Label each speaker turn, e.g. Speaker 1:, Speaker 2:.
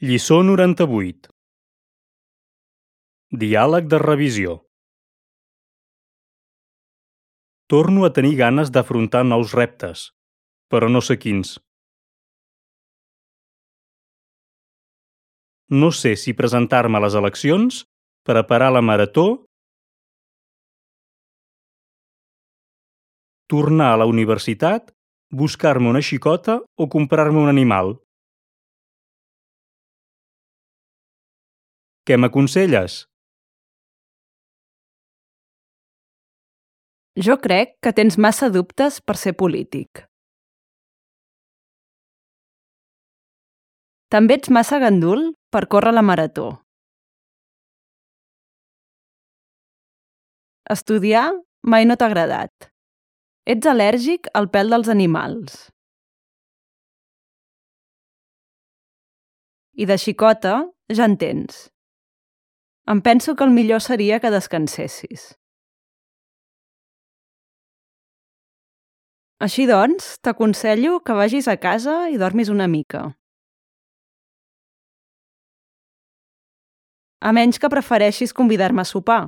Speaker 1: Lliçó 98. Diàleg de revisió. Torno a tenir ganes d'afrontar nous reptes, però no sé quins. No sé si presentar-me a les eleccions, preparar la marató, tornar a la universitat, buscar-me una xicota o comprar-me un animal. Què m'aconselles?
Speaker 2: Jo crec que tens massa dubtes per ser polític. També ets massa gandul per córrer la marató. Estudiar mai no t'ha agradat. Ets al·lèrgic al pèl dels animals. I de xicota ja en tens. Em penso que el millor seria que descansessis. Així doncs, t'aconsello que vagis a casa i dormis una mica. A menys que prefereixis convidar-me a sopar.